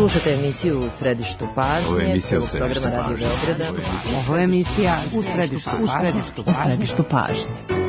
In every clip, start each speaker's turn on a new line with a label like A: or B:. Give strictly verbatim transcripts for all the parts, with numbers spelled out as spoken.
A: Slušate emisiju U središtu pažnje.
B: Ovo je emisija U
A: središtu pažnje.
C: Ovo je emisija U središtu pažnje.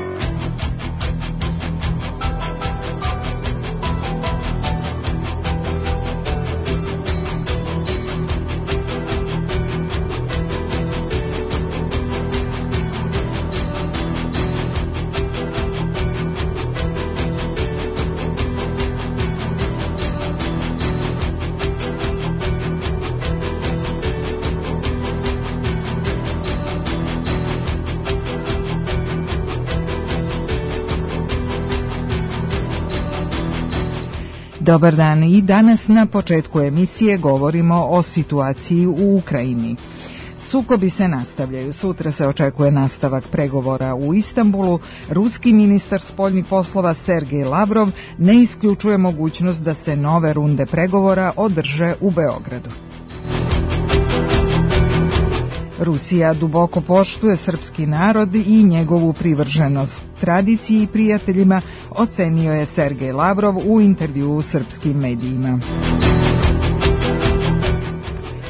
D: Dobar dan, i danas na početku emisije govorimo o situaciji u Ukrajini. Sukobi se nastavljaju. Sutra se očekuje nastavak pregovora u Istanbulu. Ruski ministar spoljnih poslova Sergej Lavrov ne isključuje mogućnost da se nove runde pregovora održe u Beogradu. Rusija duboko poštuje srpski narod i njegovu privrženost tradiciji i prijateljima, ocenio je Sergej Lavrov u intervjuu srpskim medijima.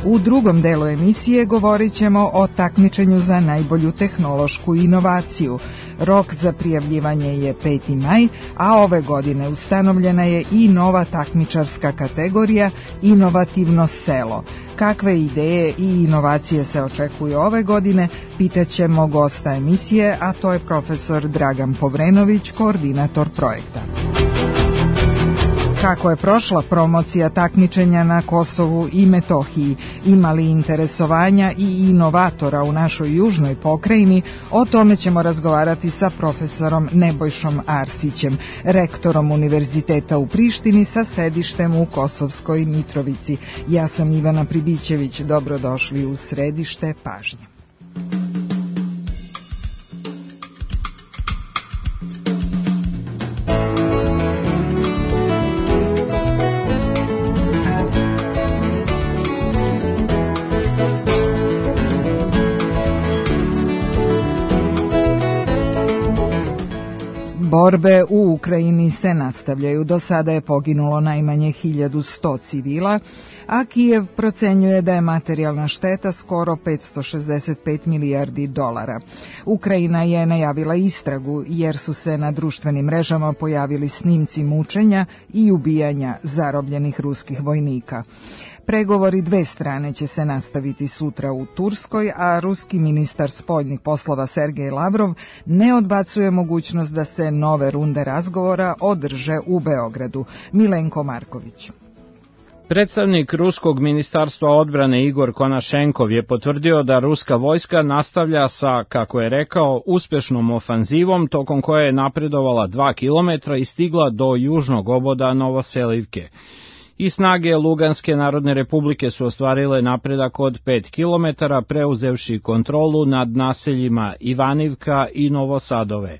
D: U drugom delu emisije govorit ćemo o takmičenju za najbolju tehnološku inovaciju. Rok za prijavljivanje je peti maj, a ove godine ustanovljena je i nova takmičarska kategorija Inovativno selo. Kakve ideje i inovacije se očekuju ove godine, pitaćemo gosta emisije, a to je profesor Dragan Povrenović, koordinator projekta. Kako je prošla promocija takmičenja na Kosovu i Metohiji, ima li interesovanja i inovatora u našoj južnoj pokrajini, o tome ćemo razgovarati sa profesorom Nebojšom Arsićem, rektorom Univerziteta u Prištini sa sedištem u Kosovskoj Mitrovici. Ja sam Ivana Pribićević, dobrodošli u središte pažnje. Borbe u Ukrajini se nastavljaju. Do sada je poginulo najmanje hiljadu sto civila, a Kijev procenjuje da je materijalna šteta skoro petsto šezdeset pet milijardi dolara. Ukrajina je najavila istragu jer su se na društvenim mrežama pojavili snimci mučenja i ubijanja zarobljenih ruskih vojnika. Pregovori dve strane će se nastaviti sutra u Turskoj, a ruski ministar spoljnih poslova Sergej Lavrov ne odbacuje mogućnost da se nove runde razgovora održe u Beogradu. Milenko Marković.
E: Predstavnik Ruskog ministarstva odbrane Igor Konašenkov je potvrdio da ruska vojska nastavlja sa, kako je rekao, uspešnom ofanzivom tokom koje je napredovala dva kilometra i stigla do južnog oboda Novoselivke. I snage Luganske narodne republike su ostvarile napredak od pet kilometara, preuzevši kontrolu nad naseljima Ivanivka i Novosadove.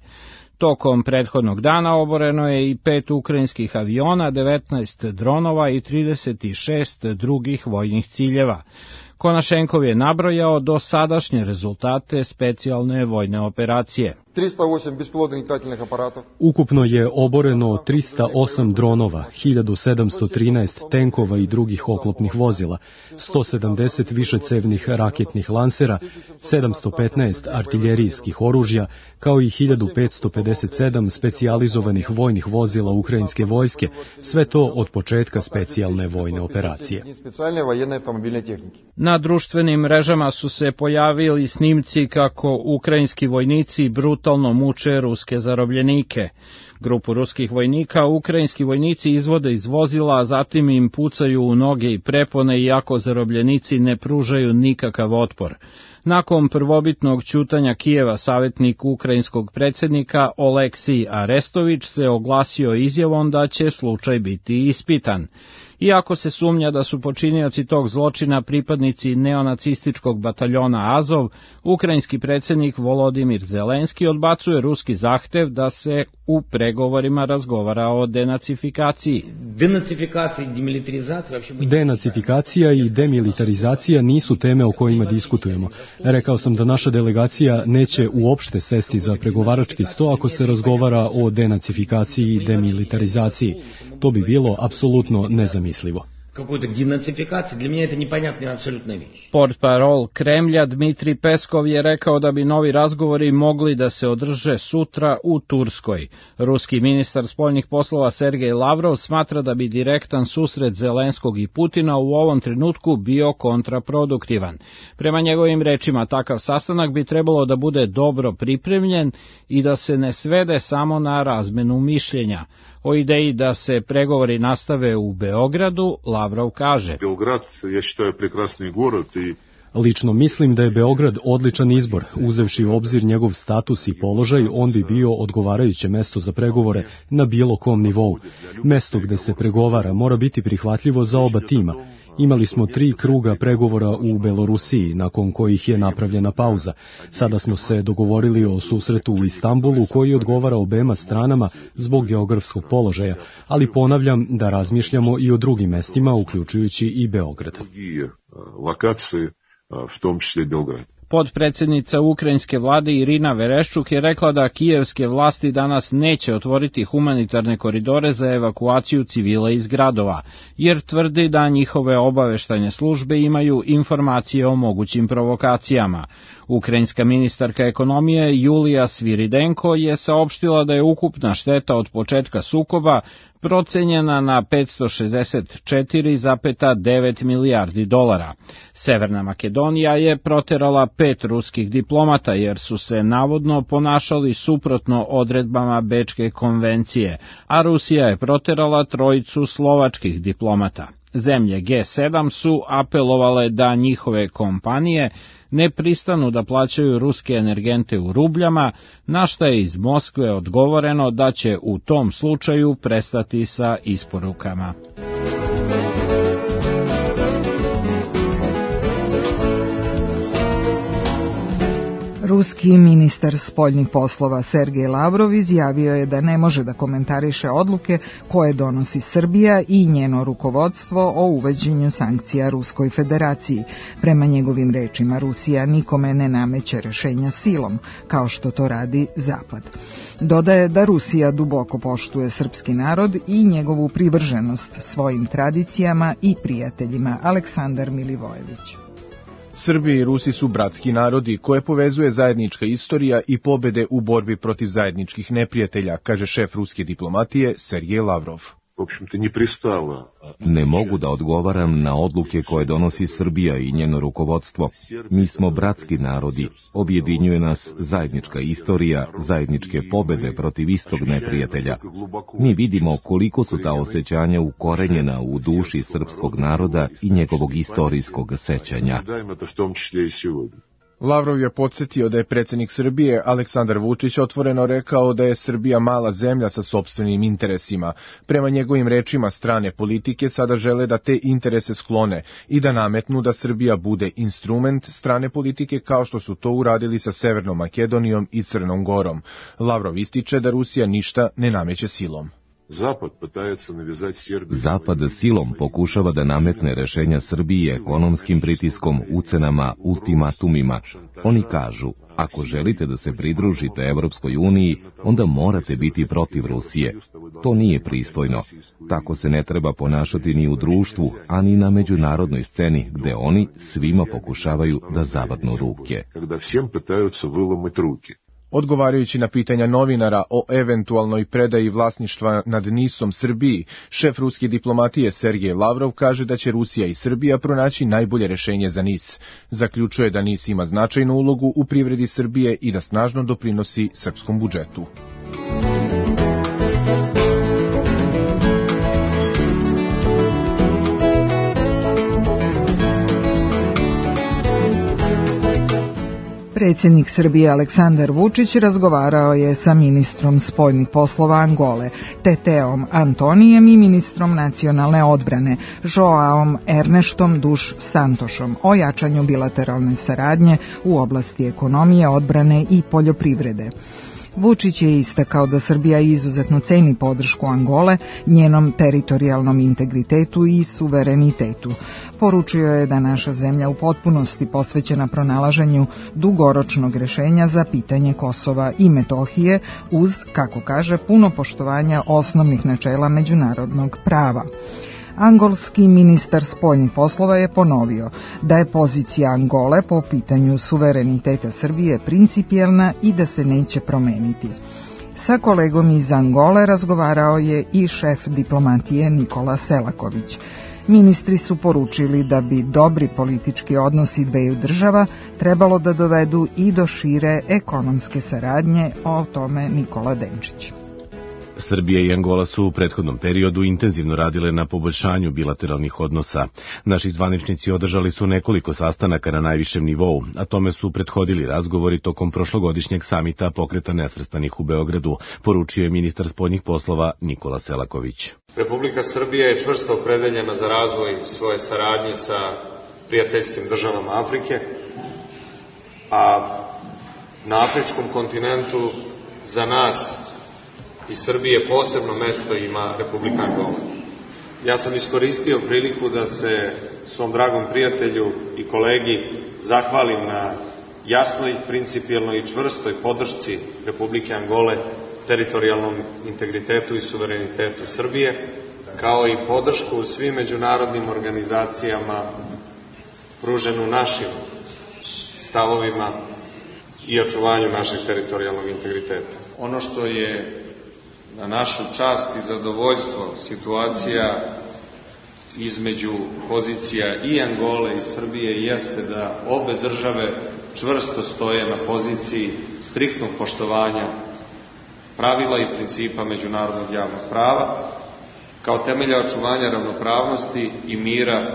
E: Tokom prethodnog dana oboreno je i pet ukrajinskih aviona, devetnaest dronova i trideset šest drugih vojnih ciljeva. Konašenkov je nabrojao do sadašnje rezultate specijalne vojne operacije.
F: Ukupno je oboreno trista osam dronova, hiljadu sedamsto trinaest tenkova i drugih oklopnih vozila, sto sedamdeset višecevnih raketnih lansera, sedamsto petnaest artiljerijskih oružja, kao i hiljadu petsto pedeset sedam specijalizovanih vojnih vozila ukrajinske vojske, sve to od početka specijalne vojne operacije.
E: Na društvenim mrežama su se pojavili snimci kako ukrajinski vojnici brutalno muče ruske zarobljenike. Grupu ruskih vojnika ukrajinski vojnici izvode iz vozila, a zatim im pucaju u noge i prepone, iako zarobljenici ne pružaju nikakav otpor. Nakon prvobitnog ćutanja Kijeva, savjetnik ukrajinskog predsjednika Oleksij Arestović se oglasio izjavom da će slučaj biti ispitan. Iako se sumnja da su počinioci tog zločina pripadnici neonacističkog bataljona Azov, ukrajinski predsjednik Volodimir Zelenski odbacuje ruski zahtev da se u pregovorima razgovara o denacifikaciji.
F: Denacifikacija i demilitarizacija nisu teme o kojima diskutujemo. Rekao sam da naša delegacija neće uopšte sesti za pregovarački sto ako se razgovara o denacifikaciji i demilitarizaciji. To bi bilo apsolutno nezamislivo.
B: какой-то денацификации, для меня это непонятная абсолютная вещь.
E: Portparol Kremlja Dmitri Peskov je rekao da bi novi razgovori mogli da se održe sutra u Turskoj. Ruski ministar spoljnih poslova Sergej Lavrov smatra da bi direktan susret Zelenskog i Putina u ovom trenutku bio kontraproduktivan. Prema njegovim rečima, takav sastanak bi trebalo da bude dobro pripremljen i da se ne svede samo na razmenu mišljenja. O ideji da se pregovori nastave u Beogradu, Lavrov kaže:
G: Beograd, ja считаю, прекрасный город i
F: Lično mislim da je Beograd odličan izbor. Uzevši u obzir njegov status i položaj, on bi bio odgovarajuće mesto za pregovore na bilo kom nivou. Mesto gde se pregovara mora biti prihvatljivo za oba tima. Imali smo tri kruga pregovora u Belorusiji, nakon kojih je napravljena pauza. Sada smo se dogovorili o susretu u Istanbulu, koji odgovara obema stranama zbog geografskog položaja, ali ponavljam da razmišljamo i o drugim mestima, uključujući i Beograd.
G: Lokacije, v tom čисле Beograd.
E: Podpredsednica ukrajinske vlade Irina Vereščuk je rekla da kijevske vlasti danas neće otvoriti humanitarne koridore za evakuaciju civila iz gradova, jer tvrdi da njihove obaveštajne službe imaju informacije o mogućim provokacijama. Ukrajinska ministarka ekonomije Julija Sviridenko je saopštila da je ukupna šteta od početka sukoba procenjena na petsto šezdeset četiri zarez devet milijardi dolara. Severna Makedonija je proterala pet ruskih diplomata jer su se navodno ponašali suprotno odredbama Bečke konvencije, a Rusija je proterala trojicu slovačkih diplomata. Zemlje G sedam su apelovale da njihove kompanije ne pristanu da plaćaju ruske energente u rubljama, na šta je iz Moskve odgovoreno da će u tom slučaju prestati sa isporukama.
D: Ruski ministar spoljnih poslova Sergej Lavrov izjavio je da ne može da komentariše odluke koje donosi Srbija i njeno rukovodstvo o uvođenju sankcija Ruskoj federaciji. Prema njegovim rečima, Rusija nikome ne nameće rešenja silom, kao što to radi Zapad. Dodaje da Rusija duboko poštuje srpski narod i njegovu privrženost svojim tradicijama i prijateljima. Aleksandar Milivojević.
H: Srbi i Rusi su bratski narodi koje povezuje zajednička istorija i pobede u borbi protiv zajedničkih neprijatelja, kaže šef ruske diplomatije Sergej Lavrov.
I: Ne mogu da odgovaram na odluke koje donosi Srbija i njeno rukovodstvo. Mi smo bratski narodi, objedinjuje nas zajednička istorija, zajedničke pobede protiv istog neprijatelja. Mi vidimo koliko su ta osjećanja ukorenjena u duši srpskog naroda i njegovog istorijskog sećanja.
H: Lavrov je podsjetio da je predsjednik Srbije Aleksandar Vučić otvoreno rekao da je Srbija mala zemlja sa sopstvenim interesima. Prema njegovim rečima, strane politike sada žele da te interese sklone i da nametnu da Srbija bude instrument strane politike kao što su to uradili sa Severnom Makedonijom i Crnom Gorom. Lavrov ističe da Rusija ništa ne nameće silom.
I: Zapad silom pokušava da nametne rešenja Srbiji ekonomskim pritiskom, ucenama, ultimatumima. Oni kažu, ako želite da se pridružite Evropskoj uniji, onda morate biti protiv Rusije. To nije pristojno. Tako se ne treba ponašati ni u društvu, a ni na međunarodnoj sceni, gde oni svima pokušavaju da zavadnu ruke.
H: Odgovarajući na pitanja novinara o eventualnoj predaji vlasništva nad Nisom Srbiji, šef ruske diplomatije Sergej Lavrov kaže da će Rusija i Srbija pronaći najbolje rešenje za Nis. Zaključuje da Nis ima značajnu ulogu u privredi Srbije i da snažno doprinosi srpskom budžetu.
D: Predsjednik Srbije Aleksandar Vučić razgovarao je sa ministrom spoljnih poslova Angole, Teteom Antonijem i ministrom nacionalne odbrane, Joaom Erneštom Duš Santošom, o jačanju bilateralne saradnje u oblasti ekonomije, odbrane i poljoprivrede. Vučić je istakao da Srbija izuzetno ceni podršku Angole, njenom teritorijalnom integritetu i suverenitetu. Poručio je da naša zemlja u potpunosti posvećena pronalaženju dugoročnog rešenja za pitanje Kosova i Metohije uz, kako kaže, puno poštovanja osnovnih načela međunarodnog prava. Angolski ministar spoljnih poslova je ponovio da je pozicija Angole po pitanju suvereniteta Srbije principijelna i da se neće promeniti. Sa kolegom iz Angole razgovarao je i šef diplomatije Nikola Selaković. Ministri su poručili da bi dobri politički odnosi dveju država trebalo da dovedu i do šire ekonomske saradnje, o tome Nikola Denčić.
J: Srbija i Angola su u prethodnom periodu intenzivno radile na poboljšanju bilateralnih odnosa. Naši zvaničnici održali su nekoliko sastanaka na najvišem nivou, a tome su prethodili razgovori tokom prošlogodišnjeg samita Pokreta nesvrstanih u Beogradu, poručio je ministar spoljnih poslova Nikola Selaković.
K: Republika Srbija je čvrsto opredeljena za razvoj svoje saradnje sa prijateljskim državama Afrike, a na afričkom kontinentu za nas i Srbije posebno mesto ima Republika Angola. Ja sam iskoristio priliku da se svom dragom prijatelju i kolegi zahvalim na jasnoj, principijelnoj i čvrstoj podršci Republike Angole teritorijalnom integritetu i suverenitetu Srbije, kao i podršku svim međunarodnim organizacijama pruženu našim stavovima i očuvanju našeg teritorijalnog integriteta. Ono što je na našu čast i zadovoljstvo situacija između pozicija i Angole i Srbije jeste da obe države čvrsto stoje na poziciji striktnog poštovanja pravila i principa međunarodnog javnog prava kao temelja očuvanja ravnopravnosti i mira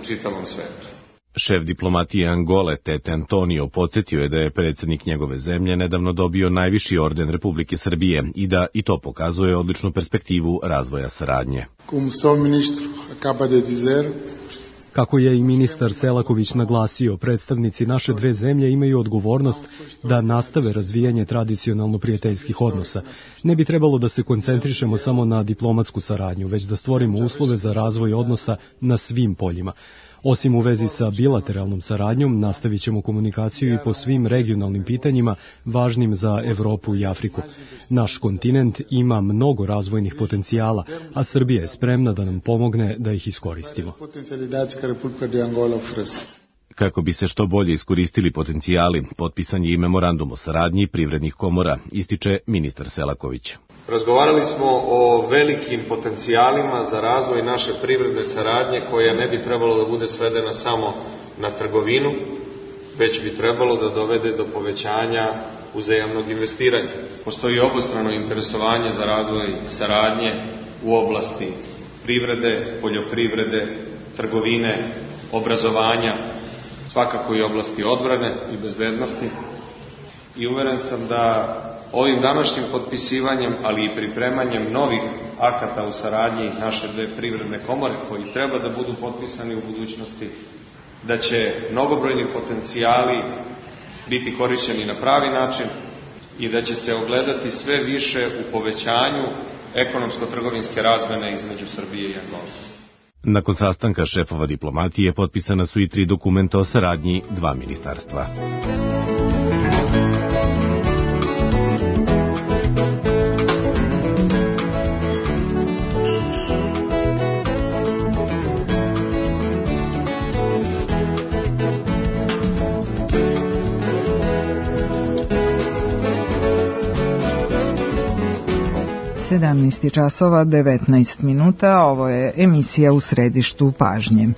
K: u čitavom svetu.
J: Šef diplomatije Angole Tete Antonio podsjetio je da je predsjednik njegove zemlje nedavno dobio najviši orden Republike Srbije i da i to pokazuje odličnu perspektivu razvoja saradnje.
F: Kako je i ministar Selaković naglasio, predstavnici naše dve zemlje imaju odgovornost da nastave razvijanje tradicionalno prijateljskih odnosa. Ne bi trebalo da se koncentrišemo samo na diplomatsku saradnju, već da stvorimo uslove za razvoj odnosa na svim poljima. Osim u vezi sa bilateralnom saradnjom, nastavit ćemo komunikaciju i po svim regionalnim pitanjima važnim za Evropu i Afriku. Naš kontinent ima mnogo razvojnih potencijala, a Srbija je spremna da nam pomogne da ih iskoristimo.
J: Kako bi se što bolje iskoristili potencijali, potpisan je i memorandum o saradnji privrednih komora, ističe ministar Selaković.
K: Razgovarali smo o velikim potencijalima za razvoj naše privredne saradnje, koja ne bi trebalo da bude svedena samo na trgovinu, već bi trebalo da dovede do povećanja uzajamnog investiranja. Postoji obostrano interesovanje za razvoj saradnje u oblasti privrede, poljoprivrede, trgovine, obrazovanja, svakako i oblasti odbrane i bezbednosti. I uveren sam da ovim današnjim potpisivanjem, ali i pripremanjem novih akata u saradnji naše dve privredne komore, koji treba da budu potpisani u budućnosti, da će mnogobrojni potencijali biti korišćeni na pravi način i da će se ogledati sve više u povećanju ekonomsko-trgovinske razmene između Srbije i Angole.
J: Nakon sastanka šefova diplomatije potpisana su i tri dokumenta o saradnji dva ministarstva.
D: sedamnaest časova devetnaest minuta, ovo je emisija U središtu pažnje.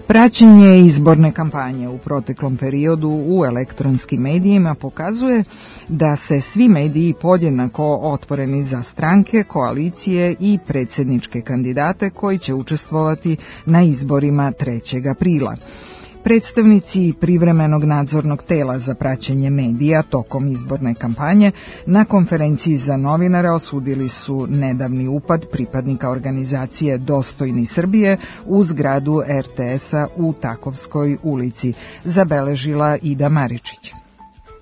D: Praćenje izborne kampanje u proteklom periodu u elektronskim medijima pokazuje da se svi mediji podjednako otvoreni za stranke, koalicije i predsjedničke kandidate koji će učestvovati na izborima trećeg aprila. Predstavnici privremenog nadzornog tela za praćenje medija tokom izborne kampanje na konferenciji za novinare osudili su nedavni upad pripadnika organizacije Dostojni Srbije u zgradu er te es-a u Takovskoj ulici, zabeležila Ida Maričić.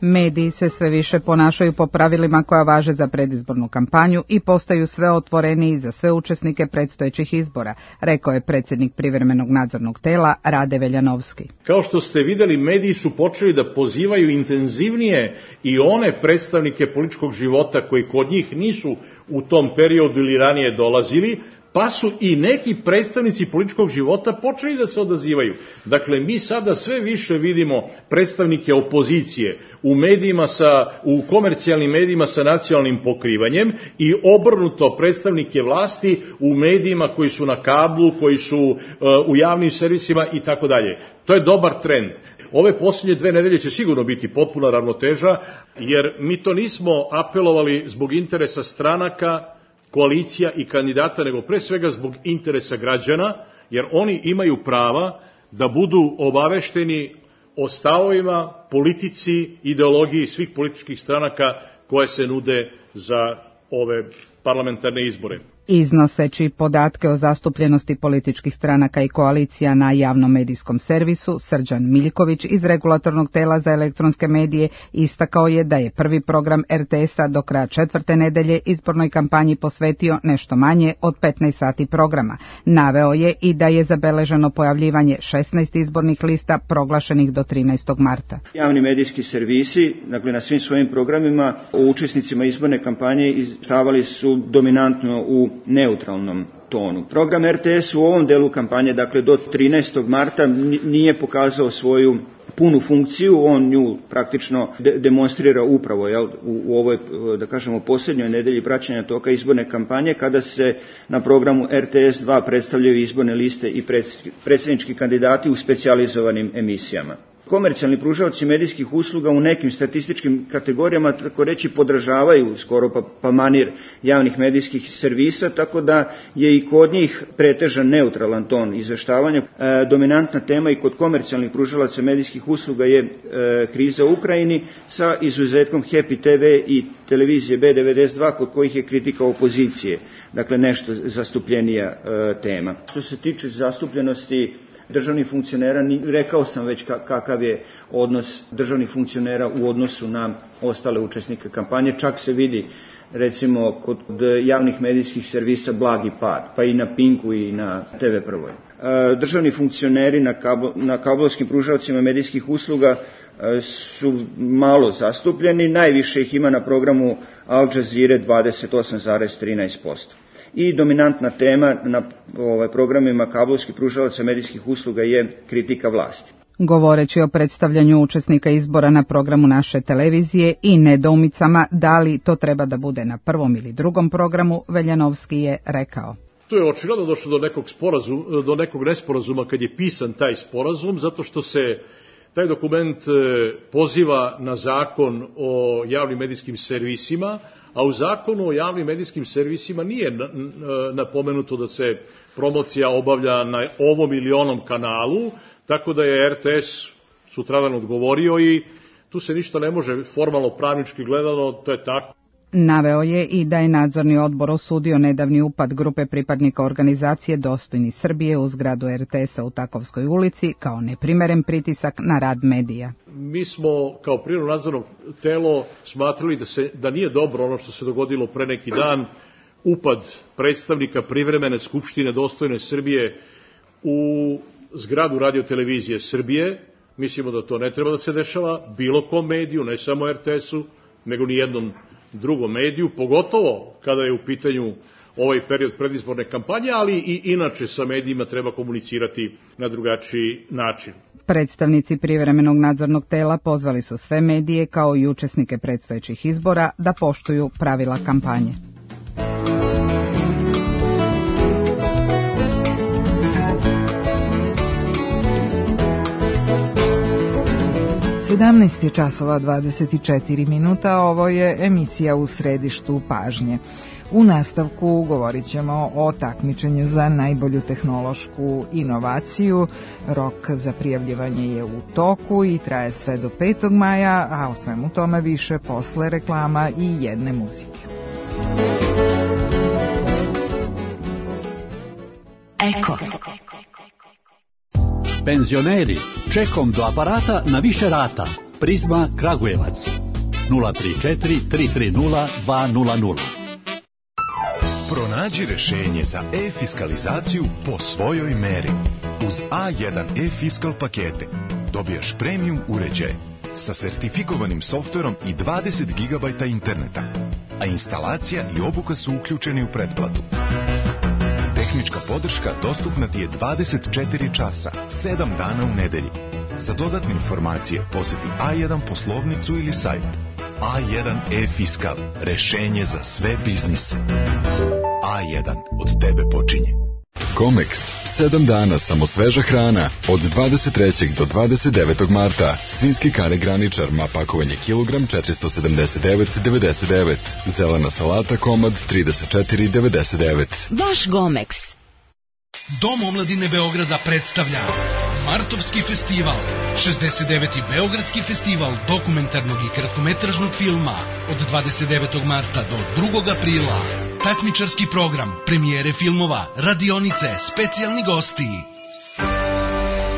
L: Mediji se sve više ponašaju po pravilima koja važe za predizbornu kampanju i postaju sve otvoreniji za sve učesnike predstojećih izbora, rekao je predsjednik privremenog nadzornog tela Rade Veljanovski.
M: Kao što ste vidjeli, mediji su počeli da pozivaju intenzivnije i one predstavnike političkog života koji kod njih nisu u tom periodu ili ranije dolazili, pa su i neki predstavnici političkog života počeli da se odazivaju. Dakle, mi sada sve više vidimo predstavnike opozicije u medijima sa, u komercijalnim medijima sa nacionalnim pokrivanjem i obrnuto predstavnike vlasti u medijima koji su na kablu, koji su uh, u javnim servisima i tako dalje. To je dobar trend. Ove posljednje dve nedelje će sigurno biti potpuna ravnoteža, jer mi to nismo apelovali zbog interesa stranaka, koalicija i kandidata, nego pre svega zbog interesa građana, jer oni imaju prava da budu obavešteni o stavovima, politici, ideologiji svih političkih stranaka koje se nude za ove parlamentarne izbore.
L: Iznoseći podatke o zastupljenosti političkih stranaka i koalicija na javnom medijskom servisu, Srđan Miljković iz Regulatornog tela za elektronske medije istakao je da je prvi program er te es-a do kraja četvrte nedelje izbornoj kampanji posvetio nešto manje od petnaest sati programa. Naveo je i da je zabeleženo pojavljivanje šesnaest izbornih lista proglašenih do trinaestog marta.
N: Javni medijski servisi, dakle na svim svojim programima o učesnicima izborne kampanje izvještavali su dominantno u neutralnom tonu. Program er te es u ovom delu kampanje, dakle do trinaestog marta, nije pokazao svoju punu funkciju, on nju praktično de- demonstrira upravo jel, u, u ovoj, da kažemo, posljednjoj nedelji praćenja toka izborne kampanje, kada se na programu er te es dva predstavljaju izborne liste i predsjednički kandidati u specijalizovanim emisijama. Komercijalni pružaoci medijskih usluga u nekim statističkim kategorijama, tako reći, podražavaju skoro pa, pa manir javnih medijskih servisa, tako da je i kod njih pretežan neutralan ton izveštavanja. E, dominantna tema i kod komercijalnih pružalaca medijskih usluga je e, kriza u Ukrajini, sa izuzetkom Happy te ve i televizije be devedeset dva, kod kojih je kritika opozicije, dakle nešto zastupljenija e, tema. Što se tiče zastupljenosti državnih funkcionera, rekao sam već kakav je odnos državnih funkcionera u odnosu na ostale učesnike kampanje, čak se vidi recimo kod javnih medijskih servisa blagi pad, pa i na Pinku i na te ve Prvoj. Državni funkcioneri na, kablo, na kablovskim pružaocima medijskih usluga su malo zastupljeni, najviše ih ima na programu Al Jazeera dvadeset osam zarez trinaest posto. I dominantna tema na ovaj, programima kablovskih pružalaca medijskih usluga je kritika vlasti.
L: Govoreći o predstavljanju učesnika izbora na programu naše televizije i nedoumicama da li to treba da bude na prvom ili drugom programu, Veljanovski je rekao:
M: Tu je očigledno došlo do nekog sporazuma, do nekog nesporazuma kad je pisan taj sporazum, zato što se taj dokument poziva na zakon o javnim medijskim servisima, a u zakonu o javnim medijskim servisima nije napomenuto da se promocija obavlja na ovom ili onom kanalu, tako da je er te es sutradan odgovorio i tu se ništa ne može formalno pravnički gledano, to je tako.
L: Naveo je i da je nadzorni odbor osudio nedavni upad grupe pripadnika organizacije Dostojni Srbije u zgradu er te es-a u Takovskoj ulici kao neprimeren pritisak na rad medija.
M: Mi smo kao prirodno nadzorno telo smatrali da, se, da nije dobro ono što se dogodilo pre neki dan, upad predstavnika privremene skupštine Dostojne Srbije u zgradu radiotelevizije Srbije. Mislimo da to ne treba da se dešava bilo kom mediju, ne samo er te es-u, nego ni jednom drugom mediju, pogotovo kada je u pitanju ovaj period predizborne kampanje, ali i inače sa medijima treba komunicirati na drugačiji način.
L: Predstavnici privremenog nadzornog tela pozvali su sve medije kao i učesnike predstojećih izbora da poštuju pravila kampanje.
D: sedamnaest je časova dvadeset četiri minuta, ovo je emisija U središtu pažnje. U nastavku govorit ćemo o takmičenju za najbolju tehnološku inovaciju. Rok za prijavljivanje je u toku i traje sve do petog maja, a o svemu tome više posle reklama i jedne muzike.
O: Eko. Penzioneri, čekom do aparata na više rata. Prizma Kragujevac. nula tri četiri tri tri nula dva nula nula.
P: Pronađi rešenje za e-fiskalizaciju po svojoj meri. Uz a jedan e-fiskal pakete dobijaš premium uređaj sa sertifikovanim softverom i dvadeset gigabajta interneta, a instalacija i obuka su uključeni u pretplatu. podrška dostupna ti je dvadeset četiri časa, sedam dana u nedelji. Za dodatne informacije poseti A jedan poslovnicu ili sajt. A jedan e-fiskal, rešenje za sve biznise. A jedan, od tebe počinje.
Q: Comex, sedam dana samo sveža hrana, od dvadeset trećeg do dvadeset devetog marta. Svinjski kare graničar, ma pakovanje kilogram četiristo sedamdeset devet devedeset devet. Zelena salata komad trideset četiri devedeset devet.
R: Vaš Gomex.
S: Dom omladine Beograda predstavlja Martovski festival, šezdeset deveti Beogradski festival dokumentarnog i kratkometražnog filma od dvadeset devetog marta do drugog aprila. Takmičarski program, premijere filmova, radionice, specijalni gosti.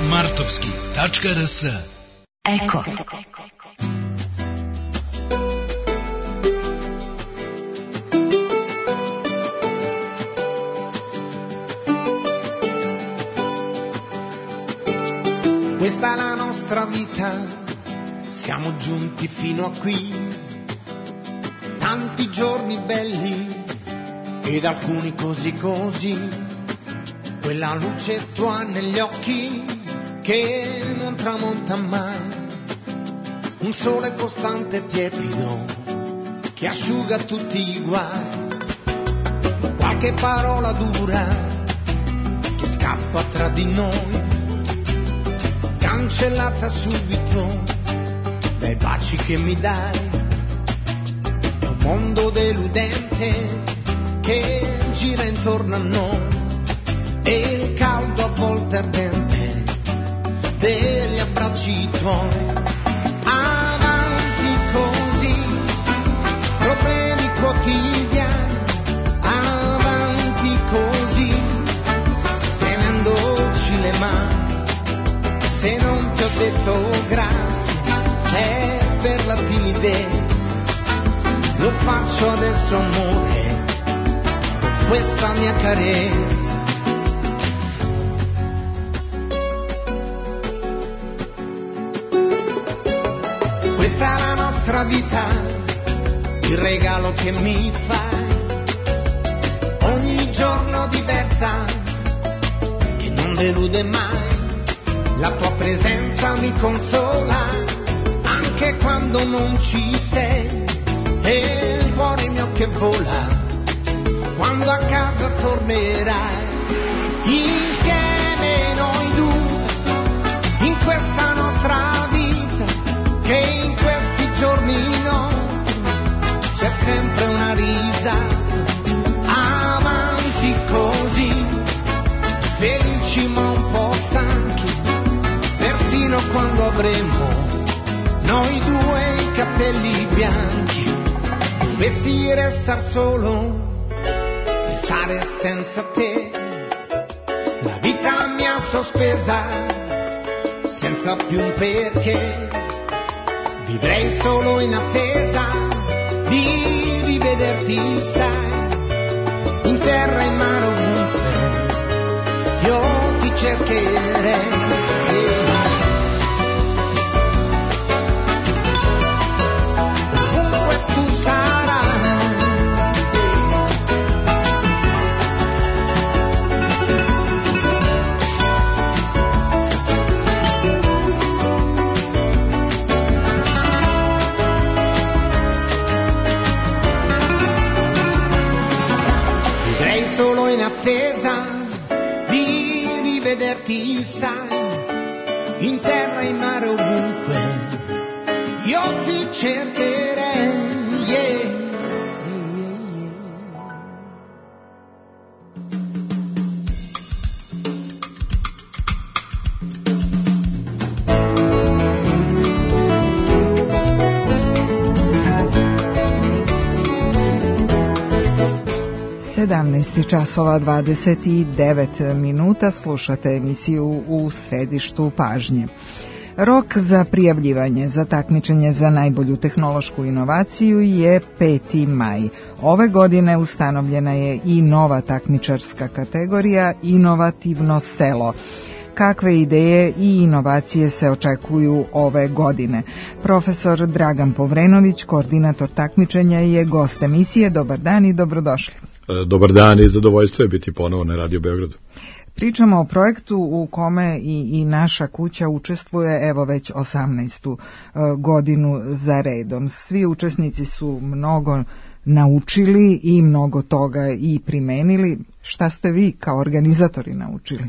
S: martovski tačka r s.
R: Eko.
T: Questa è la nostra vita, siamo giunti fino a qui, tanti giorni belli ed alcuni così così, quella luce tua negli occhi che non tramonta mai, un sole costante e tiepido che asciuga tutti i guai, qualche parola dura che scappa tra di noi, cancellata subito dai baci che mi dai. È un mondo deludente che gira intorno a noi e il caldo a volte ardente degli abbracci tuoi. Avanti così, problemi quotidiani, avanti così, tenendoci le mani. Se non ti ho detto grazie è per la timidezza, lo faccio adesso amore con questa mia carezza. Questa è la nostra vita, il regalo che mi fai, ogni giorno diversa che non delude mai. La tua presenza mi consola, anche quando non ci sei, e il cuore mio che vola, quando a casa tornerai. Insieme noi due, in questa nostra vita, che in questi giorni nostri c'è sempre una risata. Avanti così, felici ma un po' stanchi, persino quando avremo noi due i capelli bianchi. Dovessi restar solo, restare senza te, la vita mi ha sospesa senza più un perché. Vivrei solo in attesa di rivederti, sai, in terra e in mare ovunque io ti cercherei. Di rivederti, sai, in terra e in mare ovunque io ti cercherei, yeah.
D: sedamnaest časova dvadeset devet minuta, slušate emisiju U središtu pažnje. Rok za prijavljivanje za takmičenje za najbolju tehnološku inovaciju je peti maj. Ove godine ustanovljena je i nova takmičarska kategorija Inovativno selo. Kakve ideje i inovacije se očekuju ove godine? Profesor Dragan Povrenović, koordinator takmičenja, je gost emisije. Dobar dan i dobrodošli.
R: Dobar dan i zadovoljstvo je biti ponovo na Radio Beogradu.
D: Pričamo o projektu u kome i, i naša kuća učestvuje evo već osamnaestu godinu za redom. Svi učesnici su mnogo naučili i mnogo toga i primenili. Šta ste vi kao organizatori naučili?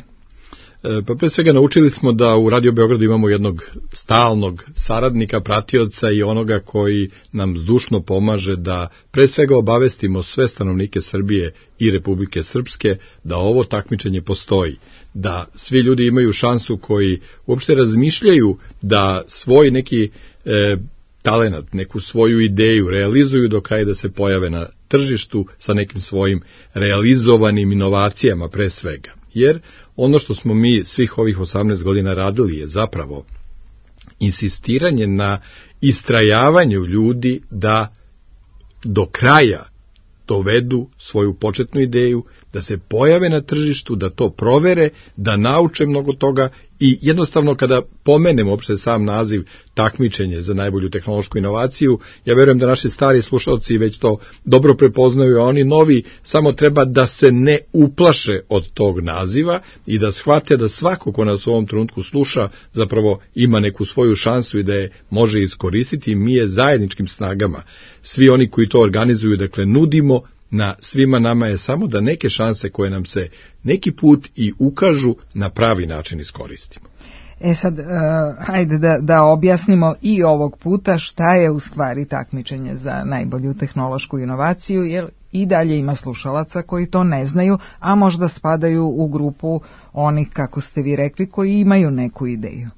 R: Pa pre svega naučili smo da u Radio Beogradu imamo jednog stalnog saradnika, pratioca i onoga koji nam zdušno pomaže da pre svega obavestimo sve stanovnike Srbije i Republike Srpske da ovo takmičenje postoji, da svi ljudi imaju šansu koji uopšte razmišljaju da svoj neki e, talenat, neku svoju ideju realizuju do kraja da se pojave na tržištu sa nekim svojim realizovanim inovacijama pre svega. Jer ono što smo mi svih ovih osamnaest godina radili je zapravo insistiranje na istrajavanju ljudi da do kraja dovedu svoju početnu ideju, da se pojave na tržištu, da to provere, da nauče mnogo toga i jednostavno kada pomenemo uopšte sam naziv takmičenje za najbolju tehnološku inovaciju, ja verujem da naši stari slušalci već to dobro prepoznaju, a oni novi samo treba da se ne uplaše od tog naziva i da shvate da svako ko nas u ovom trenutku sluša zapravo ima neku svoju šansu i da je može iskoristiti. Mi je zajedničkim snagama, svi oni koji to organizuju, dakle nudimo, na svima nama je samo da neke šanse koje nam se neki put i ukažu na pravi način iskoristimo.
D: E sad, uh, hajde da, da objasnimo i ovog puta šta je u stvari takmičenje za najbolju tehnološku inovaciju, jer i dalje ima slušalaca koji to ne znaju, a možda spadaju u grupu onih, kako ste vi rekli, koji imaju neku ideju.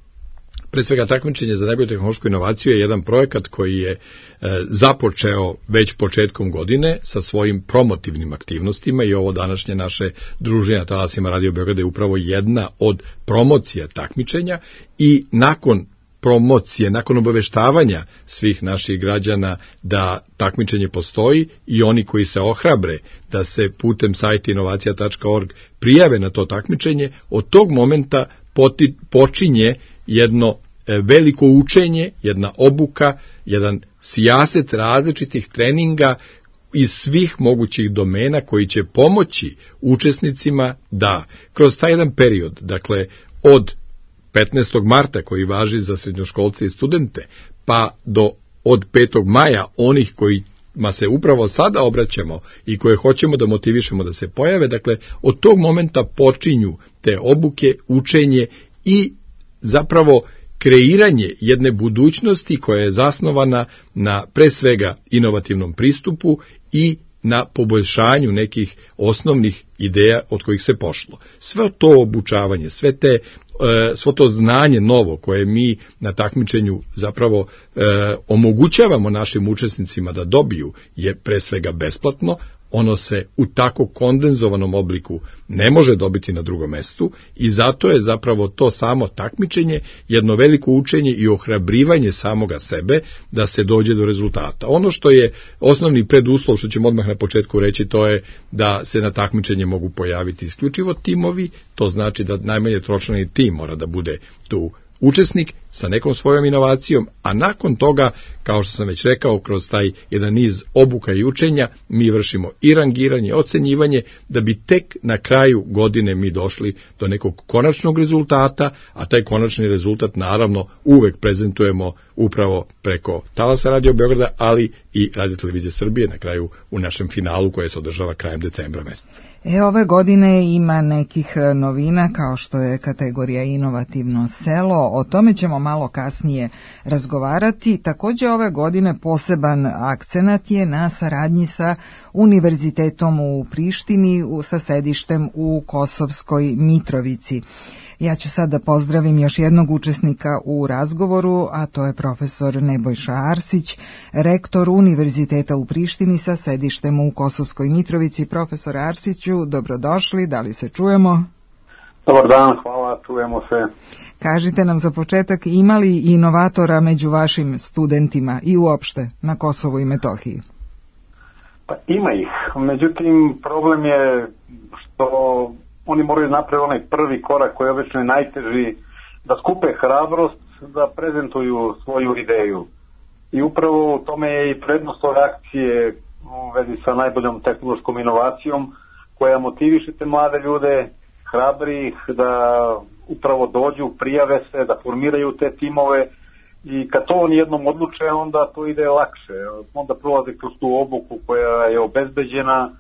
R: Pre svega, takmičenje za najbolju tehnološku inovaciju je jedan projekat koji je e, započeo već početkom godine sa svojim promotivnim aktivnostima i ovo današnje naše druženje na talasima Radio Beograda je upravo jedna od promocija takmičenja i nakon promocije, nakon obaveštavanja svih naših građana da takmičenje postoji i oni koji se ohrabre da se putem sajta inovacija tačka org prijave na to takmičenje, od tog momenta poti, počinje jedno veliko učenje, jedna obuka, jedan sijaset različitih treninga iz svih mogućih domena koji će pomoći učesnicima da kroz taj jedan period, dakle od petnaestog marta koji važi za srednjoškolce i studente, pa do od petog maja onih koji ma se upravo sada obraćamo i koje hoćemo da motivišemo da se pojave, dakle od tog momenta počinju te obuke, učenje i zapravo kreiranje jedne budućnosti koja je zasnovana na pre svega inovativnom pristupu i na poboljšanju nekih osnovnih ideja od kojih se pošlo. Sve to obučavanje, sve te, svo to znanje novo koje mi na takmičenju zapravo e, omogućavamo našim učesnicima da dobiju je pre svega besplatno, ono se u tako kondenzovanom obliku ne može dobiti na drugom mestu i zato je zapravo to samo takmičenje jedno veliko učenje i ohrabrivanje samoga sebe da se dođe do rezultata. Ono što je osnovni preduslov, što ćemo odmah na početku reći, to je da se na takmičenje mogu pojaviti isključivo timovi, to znači da najmanje tročlani tim mora da bude tu učesnik sa nekom svojom inovacijom, a nakon toga, kao što sam već rekao, kroz taj jedan niz obuka i učenja, mi vršimo i rangiranje, ocenjivanje, da bi tek na kraju godine mi došli do nekog konačnog rezultata, a taj konačni rezultat naravno uvek prezentujemo upravo preko talasa Radio Beograda, ali i Radio Televizije Srbije na kraju u našem finalu koje se održava krajem decembra meseca.
D: E, ove godine ima nekih novina kao što je kategorija inovativno selo, o tome ćemo malo kasnije razgovarati. Također ove godine poseban akcenat je na saradnji sa Univerzitetom u Prištini sa sedištem u Kosovskoj Mitrovici. Ja ću sad da pozdravim još jednog učesnika u razgovoru, a to je profesor Nebojša Arsić, rektor Univerziteta u Prištini sa sedištem u Kosovskoj Mitrovici. Profesor Arsiću, dobrodošli, da li se čujemo?
U: Dobar dan, hvala, čujemo se.
D: Kažite nam za početak, ima li inovatora među vašim studentima i uopšte na Kosovu i Metohiji?
U: Pa ima ih, međutim problem je što oni moraju napraviti onaj prvi korak koji je obično najteži, da skupe hrabrost, da prezentuju svoju ideju. I upravo u tome je i prednost ove akcije u vezi sa najboljom tehnološkom inovacijom koja motiviše te mlade ljude, hrabri ih da upravo dođu, prijave se, da formiraju te timove i kad to oni jednom odluče, onda to ide lakše. Onda prolaze kroz tu obuku koja je obezbeđena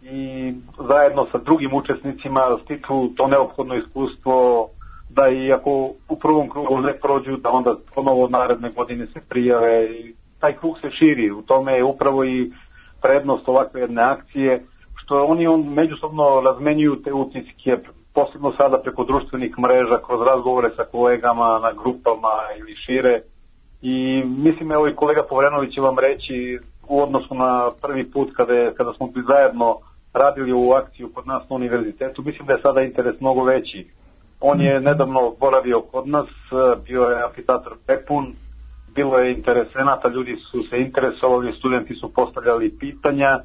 U: i zajedno sa drugim učesnicima stiču to neophodno iskustvo da i ako u prvom krugu ne prođu, da onda ponovo naredne godine se prijave i taj krug se širi. U tome je upravo i prednost ovakve jedne akcije, što oni on međusobno razmenjuju te utiske, posebno sada preko društvenih mreža, kroz razgovore sa kolegama na grupama ili šire. I mislim, evo i kolega Povrenović će vam reći u odnosu na prvi put kada, je, kada smo bi zajedno radili ovu akciju kod nas na univerzitetu, mislim da je sada interes mnogo veći. On je nedavno boravio kod nas, bio je amfiteatar prepun, bilo je interesenata, ljudi su se interesovali, studenti su postavljali pitanja.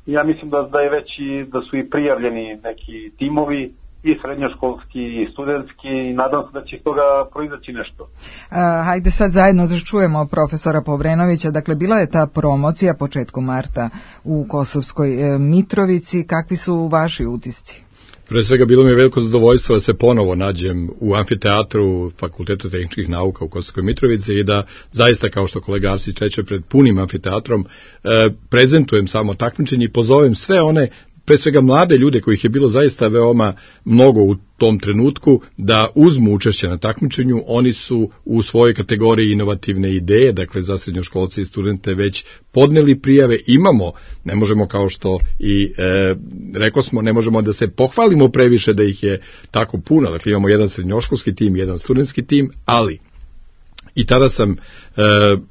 U: Ja mislim da, da je već i, da su i prijavljeni neki timovi, i srednjoškolski i studentski, i nadam se da će toga proizaći nešto.
D: A, hajde sad zajedno da čujemo profesora Povrenovića. Dakle, bila je ta promocija početkom marta u Kosovskoj e, Mitrovici. Kakvi su vaši utisci?
R: Pre svega bilo mi je veliko zadovoljstvo da se ponovo nađem u amfiteatru Fakulteta tehničkih nauka u Kosovskoj Mitrovici i da zaista, kao što kolega Arsić reče, pred punim amfiteatrom e, prezentujem samo takmičenje i pozovem sve one, pre svega mlade ljude kojih je bilo zaista veoma mnogo u tom trenutku, da uzmu učešće na takmičenju. Oni su u svojoj kategoriji inovativne ideje, dakle za srednjoškolce i studente već podneli prijave. Imamo, ne možemo kao što i e, rekao smo, ne možemo da se pohvalimo previše da ih je tako puno, dakle imamo jedan srednjoškolski tim, jedan studentski tim, ali i tada sam e,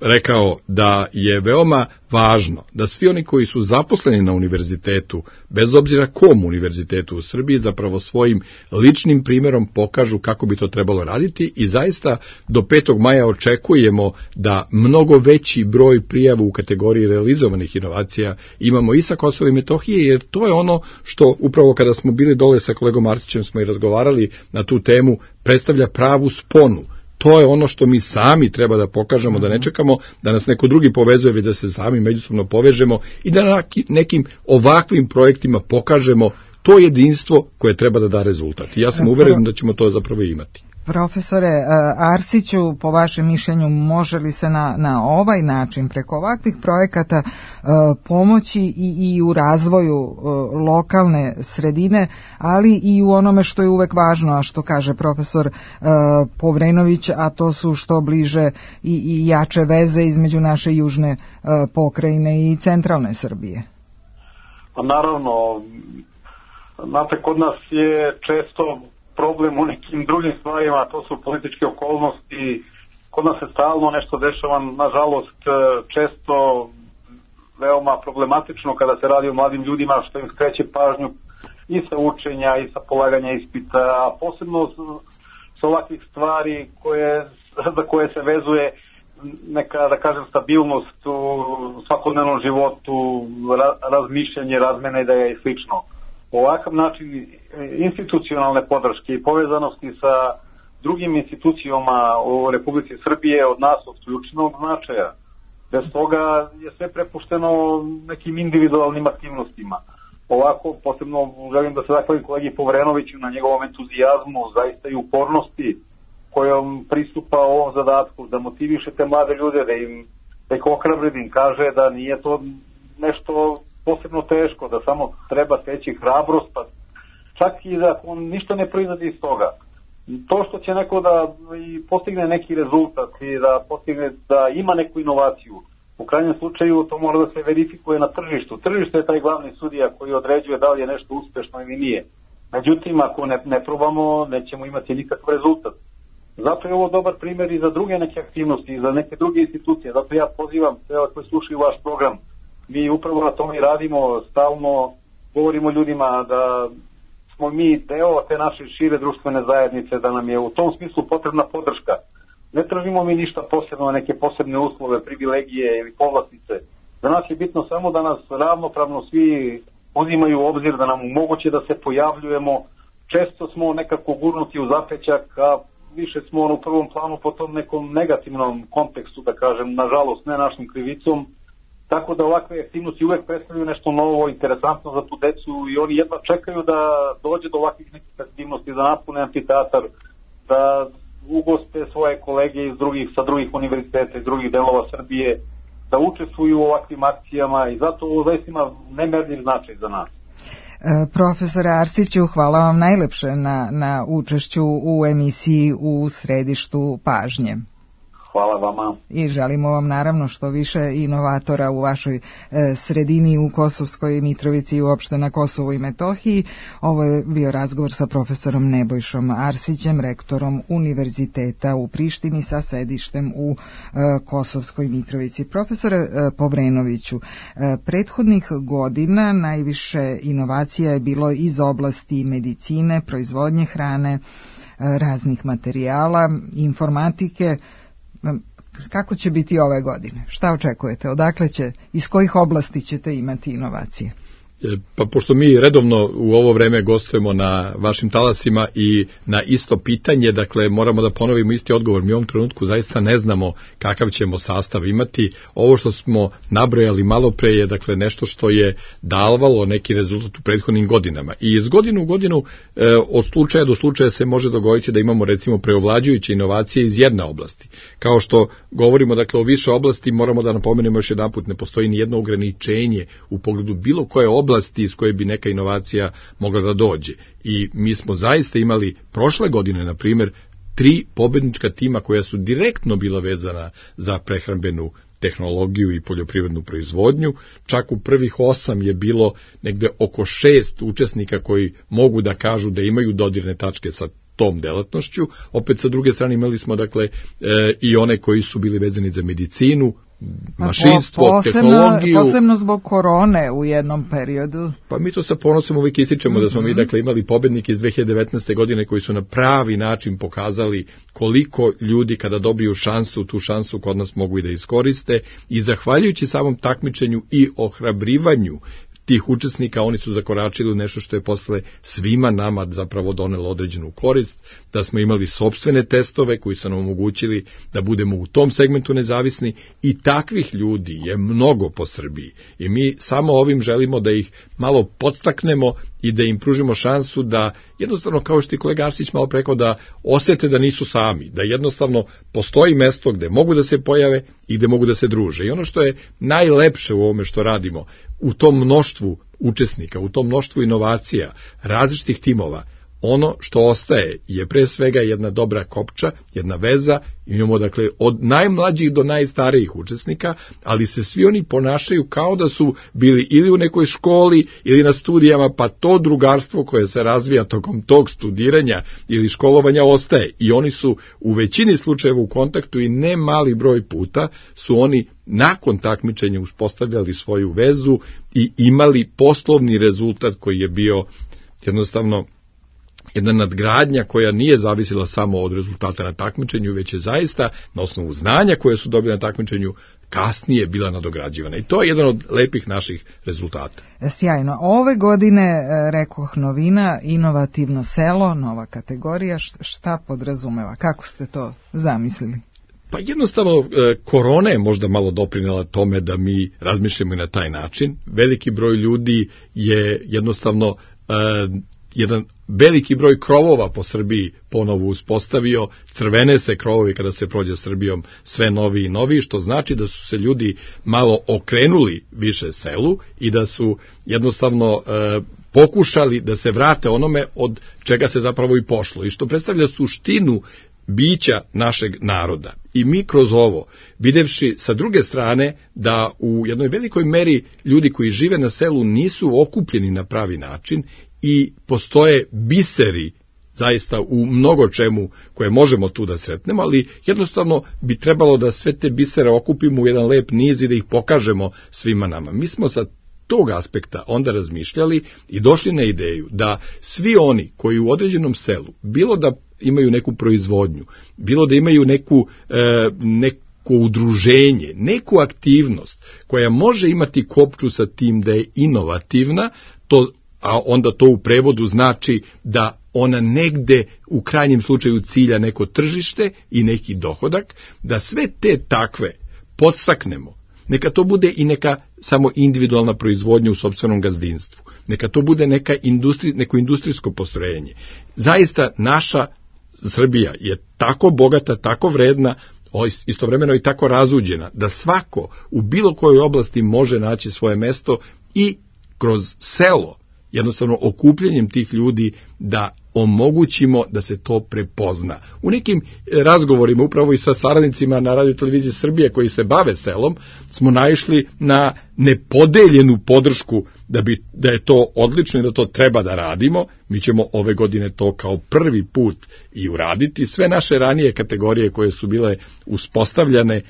R: rekao da je veoma važno da svi oni koji su zaposleni na univerzitetu, bez obzira kom univerzitetu u Srbiji, zapravo svojim ličnim primjerom pokažu kako bi to trebalo raditi i zaista do petog maja očekujemo da mnogo veći broj prijava u kategoriji realizovanih inovacija imamo i sa Kosova i Metohije, jer to je ono što upravo kada smo bili dole sa kolegom Arsićem smo i razgovarali na tu temu, predstavlja pravu sponu. To je ono što mi sami treba da pokažemo, da ne čekamo da nas neko drugi povezuje, već da se sami međusobno povežemo i da na nekim ovakvim projektima pokažemo to jedinstvo koje treba da da rezultat. I ja sam uveren da ćemo to zapravo imati.
D: Profesore Arsiću, po vašem mišljenju, može li se na, na ovaj način, preko ovakvih projekata, pomoći i, i u razvoju lokalne sredine, ali i u onome što je uvek važno, a što kaže profesor Povrenović, a to su što bliže i, i jače veze između naše južne pokrajine i centralne Srbije?
U: Pa naravno, znate, kod nas je često problem u nekim drugim stvarima, to su političke okolnosti, kod nas se stalno nešto dešava, nažalost često veoma problematično kada se radi o mladim ljudima, što im skreće pažnju i sa učenja i sa polaganja ispita, a posebno sa ovakvih stvari koje, za koje se vezuje neka, da kažem, stabilnost u svakodnevnom životu, razmišljanje, razmena ideja i slično. Ovakav način institucionalne podrške i povezanosti sa drugim institucijama u Republici Srbije od nas od ključnog značaja. Bez toga je sve prepušteno nekim individualnim aktivnostima. Ovako, posebno želim da se zahvalim kolegi Povrenoviću na njegovom entuzijazmu, zaista i upornosti kojom pristupa ovom zadatku, da motiviše te mlade ljude, da im, da ih ohrabri, da im kaže da nije to nešto posebno teško, da samo treba steći hrabrost, pa čak i da on ništa ne proizlazi iz toga. To što će neko da i postigne neki rezultat i da postigne da ima neku inovaciju, u krajnjem slučaju to mora da se verifikuje na tržištu. Tržište je taj glavni sudija koji određuje da li je nešto uspešno ili nije. Međutim, ako ne, ne probamo, nećemo imati nikakav rezultat. Zato je ovo dobar primjer i za druge neke aktivnosti, i za neke druge institucije. Zato ja pozivam sve koji slušaju vaš program. Mi upravo na tome radimo, stalno govorimo ljudima da smo mi deo te naše šire društvene zajednice, da nam je u tom smislu potrebna podrška. Ne tražimo mi ništa posebno, neke posebne uslove, privilegije ili povlastice. Za nas je bitno samo da nas ravnopravno svi uzimaju u obzir, da nam omoguće da se pojavljujemo. Često smo nekako gurnuti u zapećak, a više smo u prvom planu po tom nekom negativnom kontekstu, da kažem, nažalost ne našim krivicom. tako da ovakve aktivnosti uvek predstavljaju nešto novo, interesantno za tu decu i oni jedno čekaju da dođe do ovakvih nekih aktivnosti, da napune amfiteatar, da ugoste svoje kolege iz drugih, sa drugih univerziteta iz drugih delova Srbije, da učestvuju u ovakvim akcijama i zato ovo zaista ima nemerljiv značaj za nas.
D: E, profesore Arsiću, hvala vam najlepše na, na učešću u emisiji U središtu pažnje.
U: Hvala vama.
D: I želimo vam naravno što više inovatora u vašoj e, sredini u Kosovskoj Mitrovici i uopšte na Kosovu i Metohiji. Ovo je bio razgovor sa profesorom Nebojšom Arsićem, rektorom Univerziteta u Prištini sa sedištem u e, Kosovskoj Mitrovici. Profesore e, Povrenoviću, e, prethodnih godina najviše inovacija je bilo iz oblasti medicine, proizvodnje hrane, e, raznih materijala, informatike. Kako će biti ove godine? Šta očekujete? Odakle će, iz kojih oblasti ćete imati inovacije?
R: Pa pošto mi redovno u ovo vreme gostujemo na vašim talasima i na isto pitanje, dakle moramo da ponovimo isti odgovor. Mi u ovom trenutku zaista ne znamo kakav ćemo sastav imati. Ovo što smo nabrojali malo pre je dakle nešto što je davalo neki rezultat u prethodnim godinama. I iz godinu u godinu e, od slučaja do slučaja se može dogoditi da imamo recimo preovlađujuće inovacije iz jedne oblasti. Kao što govorimo dakle o više oblasti, moramo da napomenemo još jedanput, ne postoji ni jedno ograničenje u pogledu bilo koje oblasti oblasti iz koje bi neka inovacija mogla da dođe. I mi smo zaista imali prošle godine, na primjer, tri pobednička tima koja su direktno bila vezana za prehrambenu tehnologiju i poljoprivrednu proizvodnju. Čak u prvih osam je bilo negde oko šest učesnika koji mogu da kažu da imaju dodirne tačke sa tom delatnošću. Opet sa druge strane imali smo dakle e, i one koji su bili vezani za medicinu, mašinstvo,
D: posebno,
R: tehnologiju.
D: Posebno zbog korone u jednom periodu.
R: Pa mi to sa ponosom uvijek ističemo mm-hmm. da smo mi dakle imali pobednike iz dve hiljade devetnaeste. godine koji su na pravi način pokazali koliko ljudi kada dobiju šansu, tu šansu kod nas mogu i da iskoriste i zahvaljujući samom takmičenju i ohrabrivanju tih učesnika, oni su zakoračili u nešto što je posle svima nama zapravo donelo određenu korist, da smo imali sopstvene testove koji su nam omogućili da budemo u tom segmentu nezavisni i takvih ljudi je mnogo po Srbiji. I mi samo ovim želimo da ih malo podstaknemo i da im pružimo šansu da jednostavno, kao što je kolega Arsić malo rekao, da osete da nisu sami, da jednostavno postoji mesto gde mogu da se pojave i gde mogu da se druže. I ono što je najlepše u ovome što radimo, u tom mnoštvu učesnika, u tom mnoštvu inovacija, različitih timova, ono što ostaje je pre svega jedna dobra kopča, jedna veza, imamo dakle od najmlađih do najstarijih učesnika, ali se svi oni ponašaju kao da su bili ili u nekoj školi ili na studijama, pa to drugarstvo koje se razvija tokom tog studiranja ili školovanja ostaje i oni su u većini slučajeva u kontaktu i ne mali broj puta su oni nakon takmičenja uspostavljali svoju vezu i imali poslovni rezultat koji je bio jednostavno jedna nadgradnja koja nije zavisila samo od rezultata na takmičenju, već je zaista na osnovu znanja koje su dobili na takmičenju kasnije bila nadograđivana. I to je jedan od lepih naših rezultata.
D: Sjajno. Ove godine, rekoh, novina, inovativno selo, nova kategorija. Šta podrazumeva? Kako ste to zamislili?
R: Pa jednostavno, korona je možda malo doprinela tome da mi razmišljamo i na taj način. Veliki broj ljudi je jednostavno jedan veliki broj krovova po Srbiji ponovo uspostavio, crvene se krovovi kada se prođe Srbijom sve novi i novi, što znači da su se ljudi malo okrenuli više selu i da su jednostavno e, pokušali da se vrate onome od čega se zapravo i pošlo i što predstavlja suštinu bića našeg naroda. I mi kroz ovo, videvši sa druge strane da u jednoj velikoj meri ljudi koji žive na selu nisu okupljeni na pravi način i postoje biseri zaista u mnogo čemu koje možemo tu da sretnemo, ali jednostavno bi trebalo da sve te bisere okupimo u jedan lep niz i da ih pokažemo svima nama. Mi smo sa tog aspekta onda razmišljali i došli na ideju da svi oni koji u određenom selu, bilo da imaju neku proizvodnju, bilo da imaju neku, e, neku udruženje, neku aktivnost koja može imati kopču sa tim da je inovativna, to, a onda to u prevodu znači da ona negde u krajnjem slučaju cilja neko tržište i neki dohodak, da sve te takve podstaknemo Neka to bude i neka samo individualna proizvodnja u sopstvenom gazdinstvu. Neka to bude neka industri, neko industrijsko postrojenje. Zaista naša Srbija je tako bogata, tako vredna, istovremeno i tako razuđena, da svako u bilo kojoj oblasti može naći svoje mesto i kroz selo, jednostavno okupljanjem tih ljudi, da omogućimo da se to prepozna. U nekim razgovorima, upravo i sa saradnicima na Radio-televiziji Srbije koji se bave selom, smo naišli na nepodeljenu podršku da, bi, da je to odlično i da to treba da radimo. Mi ćemo ove godine to kao prvi put i uraditi. Sve naše ranije kategorije koje su bile uspostavljane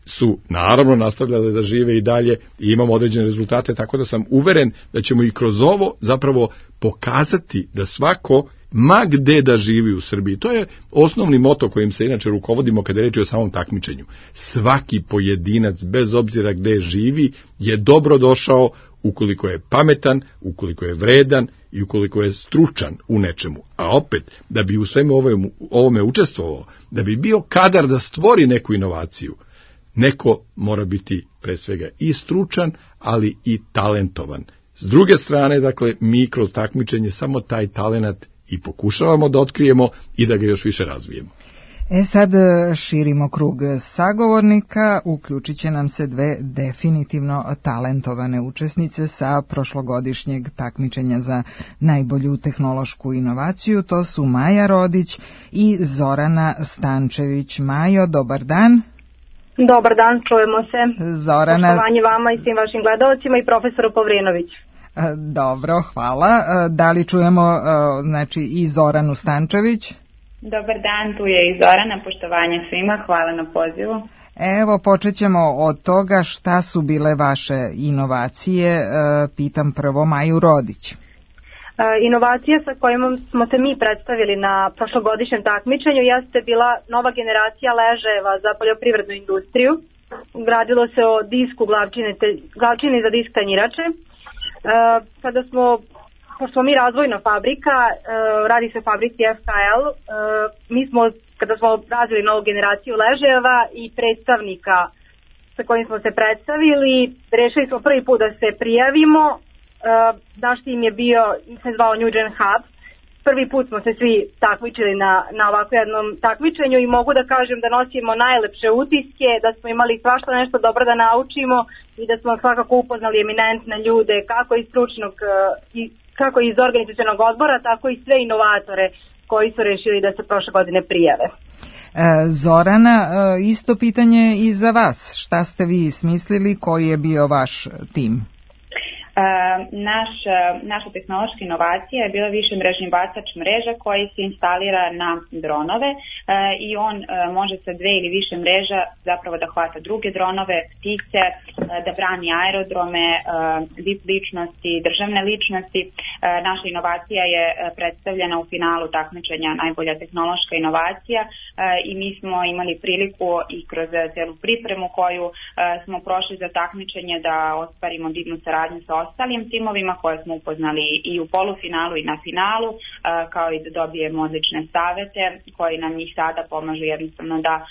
R: su naravno nastavljale da žive i dalje i imamo određene rezultate, tako da sam uveren da ćemo i kroz ovo zapravo pokazati da svako, ma gde da živi u Srbiji, to je osnovni moto kojim se inače rukovodimo kada je reč o samom takmičenju. Svaki pojedinac, bez obzira gde živi, je dobro došao ukoliko je pametan, ukoliko je vredan i ukoliko je stručan u nečemu. A opet, da bi u svemu ovome, ovome učestvovao, da bi bio kadar da stvori neku inovaciju, neko mora biti pre svega i stručan, ali i talentovan. S druge strane, dakle, mi kroz takmičenje samo taj talenat i pokušavamo da otkrijemo i da ga još više razvijemo.
D: E sad širimo krug sagovornika, uključit će nam se dve definitivno talentovane učesnice sa prošlogodišnjeg takmičenja za najbolju tehnološku inovaciju. To su Maja Rodić i Zorana Stančević. Majo, dobar dan.
A: Dobar dan, čujemo se.
D: Zorana...
A: Poštovanje vama i svim vašim gledalcima i profesoru Povrinović.
D: Dobro, hvala. Da li čujemo znači, i Zoranu Stančević?
V: Dobar dan, tu je i Zorana, poštovanje svima, hvala na pozivu.
D: Evo, počet ćemo od toga šta su bile vaše inovacije. Pitam prvo Maju Rodić.
A: Inovacija sa kojom smo se mi predstavili na prošlogodišnjem takmičenju jeste bila nova generacija ležajeva za poljoprivrednu industriju. Gradilo se o disku glavčine, te, glavčine za disk tanjirače. E, kada smo, pošto smo mi razvojna fabrika, e, radi se o fabrici F K L, e, mi smo, kada smo razvili novu generaciju ležajeva i predstavnika sa kojim smo se predstavili, rešili smo prvi put da se prijavimo. Uh, naš tim je bio, se zvao New Gen Hub. Prvi put smo se svi takmičili na, na ovako jednom takmičenju i mogu da kažem da nosimo najlepše utiske, da smo imali svašta nešto dobro da naučimo i da smo svakako upoznali eminentne ljude, kako iz stručnog, i, kako iz organizacionog odbora, tako i sve inovatore koji su rešili da se prošle godine prijave.
D: Zorana, isto pitanje i za vas. Šta ste vi smislili, koji je bio vaš tim?
V: Naš, naša tehnološka inovacija je bila višemrežni bacač mreža koji se instalira na dronove i on može sa dve ili više mreža zapravo da hvata druge dronove, ptice, da brani aerodrome, V I P ličnosti, državne ličnosti. Naša inovacija je predstavljena u finalu takmičenja najbolja tehnološka inovacija i mi smo imali priliku i kroz celu pripremu koju smo prošli za takmičenje da ostvarimo divnu saradnju sa ostalim timovima koje smo upoznali i u polufinalu i na finalu, kao i da dobijemo odlične savete koji nam njih sada pomažu jednostavno da um,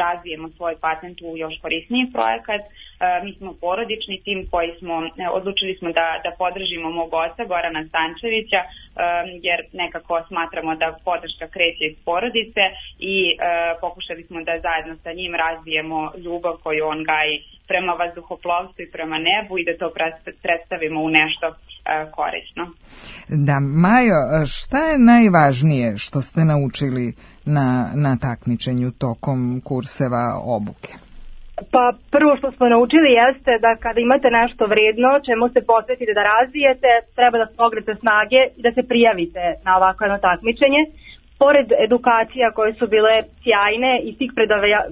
V: razvijemo svoj patent u još korisniji projekat. Mi smo porodični tim koji smo, odlučili smo da, da podržimo mog oca Gorana Stančevića, jer nekako smatramo da podrška kreće iz porodice i pokušali smo da zajedno sa njim razvijemo ljubav koju on gaji prema vazduhoplovstvu i prema nebu i da to predstavimo u nešto korisno.
D: Da, Majo, šta je najvažnije što ste naučili na, na takmičenju tokom kurseva obuke?
A: Pa prvo što smo naučili jeste da kada imate nešto vredno čemu se posvetite da razvijete, treba da pogrete snage i da se prijavite na ovako jedno takmičenje. Pored edukacija koje su bile sjajne i svih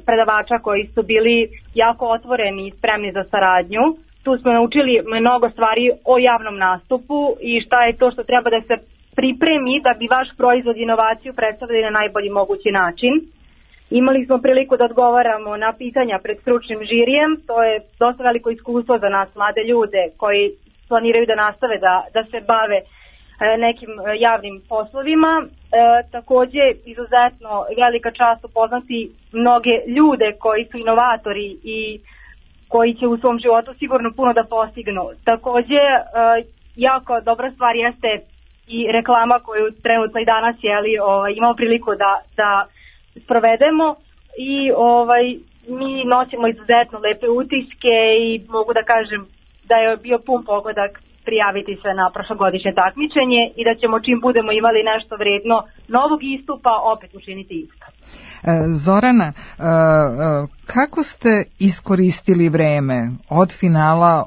A: predavača koji su bili jako otvoreni i spremni za saradnju, tu smo naučili mnogo stvari o javnom nastupu i šta je to što treba da se pripremi da bi vaš proizvod i inovaciju predstavili na najbolji mogući način. Imali smo priliku da odgovaramo na pitanja pred stručnim žirijem, to je dosta veliko iskustvo za nas, mlade ljude koji planiraju da nastave da, da se bave e, nekim javnim poslovima. E, takođe, izuzetno velika čast upoznati mnoge ljude koji su inovatori i koji će u svom životu sigurno puno da postignu. Takođe, jako dobra stvar jeste i reklama koju trenutno i danas jeli, ovaj, imamo priliku da, da sprovedemo i ovaj, mi nosimo izuzetno lepe utiske i mogu da kažem da je bio pun pogodak prijaviti se na prošlogodišnje takmičenje i da ćemo čim budemo imali nešto vredno novog istupa opet učiniti isto.
D: Zorana, kako ste iskoristili vreme od finala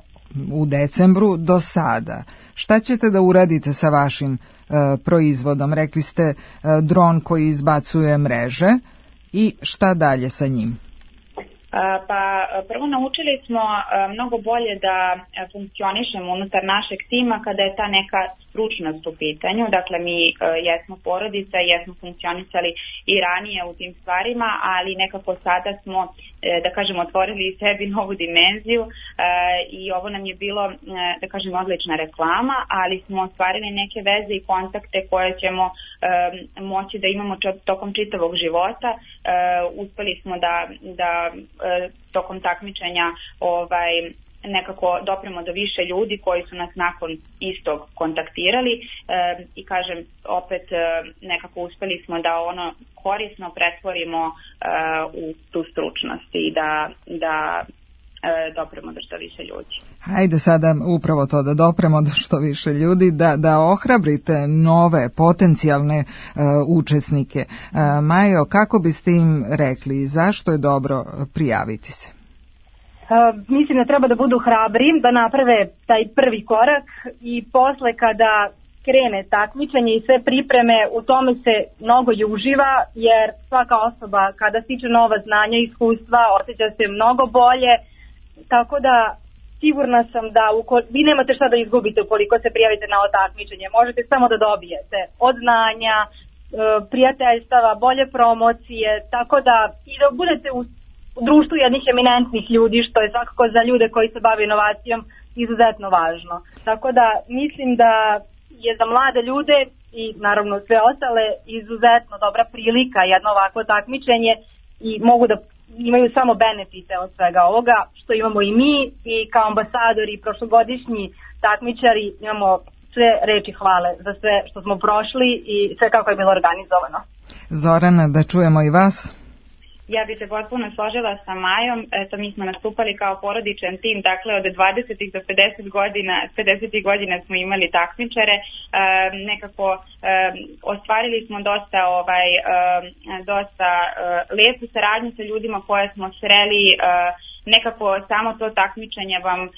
D: u decembru do sada? Šta ćete da uradite sa vašim proizvodom? Rekli ste dron koji izbacuje mreže i šta dalje sa njim?
V: Pa prvo naučili smo mnogo bolje da funkcionišemo unutar našeg tima kada je ta neka stručnost u pitanju. Dakle, mi jesmo porodica, jesmo funkcionisali i ranije u tim stvarima, ali nekako sada smo, da kažem, otvorili sebi novu dimenziju i ovo nam je bilo, da kažem, odlična reklama, ali smo ostvarili neke veze i kontakte koje ćemo moći da imamo tokom čitavog života. Uspeli smo da, da tokom takmičenja ovaj, nekako dopremo do više ljudi koji su nas nakon istog kontaktirali e, i kažem opet e, nekako uspeli smo da ono korisno pretvorimo e, u tu stručnost i da, da e, dopremo do što više ljudi.
D: Hajde sada upravo to da dopremo do što više ljudi, da, da ohrabrite nove potencijalne e, učesnike. E, Majo, kako biste im rekli, zašto je dobro prijaviti se?
A: Uh, mislim da treba da budu hrabri, da naprave taj prvi korak i posle kada krene takmičenje i sve pripreme, u tome se mnogo i uživa, jer svaka osoba kada stiče nova znanja i iskustva osjeća se mnogo bolje, tako da sigurna sam da uko, vi nemate šta da izgubite ukoliko se prijavite na ovo takmičenje, možete samo da dobijete od znanja, prijateljstava, bolje promocije, tako da i da budete u u društvu jednih eminentnih ljudi, što je svakako za ljude koji se bave inovacijom izuzetno važno. Tako da mislim da je za mlade ljude i naravno sve ostale izuzetno dobra prilika jedno ovako takmičenje i mogu da imaju samo benefite od svega ovoga što imamo i mi i kao ambasadori i prošlogodišnji takmičari imamo sve reči hvale za sve što smo prošli i sve kako je bilo organizovano.
D: Zorana, da čujemo i vas.
V: Ja bih se potpuno složila sa Majom, eto mi smo nastupali kao porodičan tim, dakle od dvadesetih do pedeset godina, pedesetih godina smo imali takmičare, e, nekako e, ostvarili smo dosta ovaj e, dosta e, lepu saradnju sa ljudima koje smo sreli, e, nekako samo to takmičenje vam e,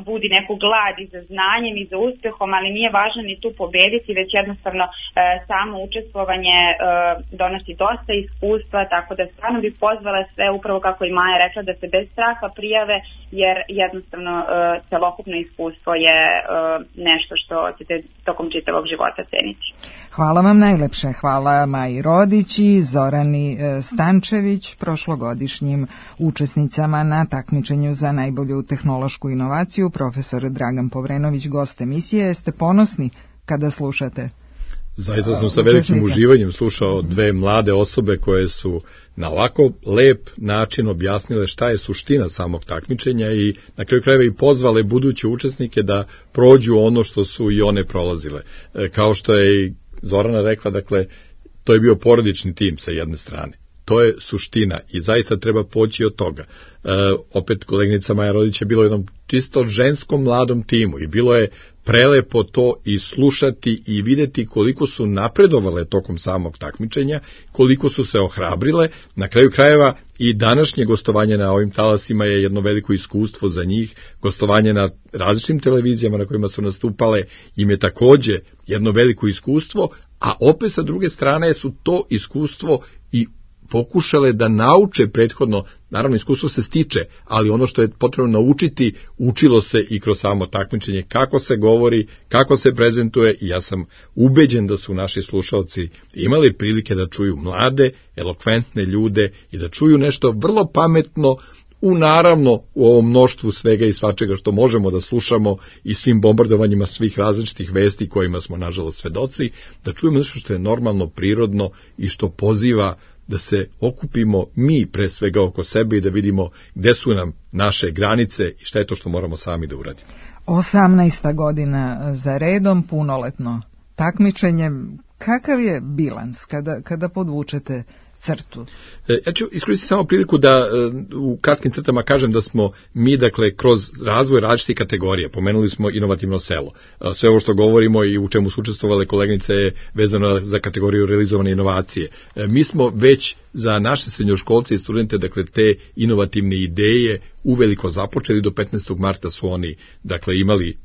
V: budi neku glad i za znanjem i za uspehom, ali nije važno ni tu pobediti, već jednostavno e, samo učestvovanje e, donosi dosta iskustva, tako da stvarno bih pozvala sve, upravo kako i Maja rekla, da se bez straha prijave, jer jednostavno e, celokupno iskustvo je e, nešto što ćete tokom čitavog života ceniti.
D: Hvala vam najlepše, hvala Maji Rodić i Zorani Stančević, prošlogodišnjim učesnicama na takmičenju za najbolju tehnološku inovaciju. Profesor Dragan Povrenović, gost emisije. Jeste ponosni kada slušate?
R: Zaista sam sa velikim uživanjem slušao dve mlade osobe koje su na ovako lep način objasnile šta je suština samog takmičenja i na kraju krajeva i pozvale buduće učesnike da prođu ono što su i one prolazile. Kao što je i Zorana rekla, dakle, to je bio porodični tim sa jedne strane. To je suština i zaista treba poći od toga. E, opet koleginica Maja Rodić je bilo u jednom čisto ženskom mladom timu i bilo je prelepo to i slušati i videti koliko su napredovale tokom samog takmičenja, koliko su se ohrabrile. Na kraju krajeva i današnje gostovanje na ovim talasima je jedno veliko iskustvo za njih. Gostovanje na različitim televizijama na kojima su nastupale im je takođe jedno veliko iskustvo, a opet sa druge strane su to iskustvo i pokušale da nauče prethodno, naravno iskustvo se stiče, ali ono što je potrebno naučiti, učilo se i kroz samo takmičenje, kako se govori, kako se prezentuje i ja sam ubeđen da su naši slušalci imali prilike da čuju mlade, elokventne ljude i da čuju nešto vrlo pametno u naravno u ovom mnoštvu svega i svačega što možemo da slušamo i svim bombardovanjima svih različitih vesti kojima smo nažalost svedoci, da čujemo nešto što je normalno, prirodno i što poziva da se okupimo mi pre svega oko sebe i da vidimo gde su nam naše granice i šta je to što moramo sami da uradimo.
D: osamnaesta godina za redom, punoletno takmičenje. Kakav je bilans kada, kada podvučete crtu?
R: Ja ću iskoristiti samo priliku da u kratkim crtama kažem da smo mi, dakle, kroz razvoj različitih kategorija, pomenuli smo inovativno selo. Sve ovo što govorimo i u čemu su učestvovale koleginice je vezano za kategoriju realizovane inovacije. Mi smo već za naše srednjoškolce i studente, dakle, te inovativne ideje uveliko započeli. Do petnaestog marta su oni, dakle, imali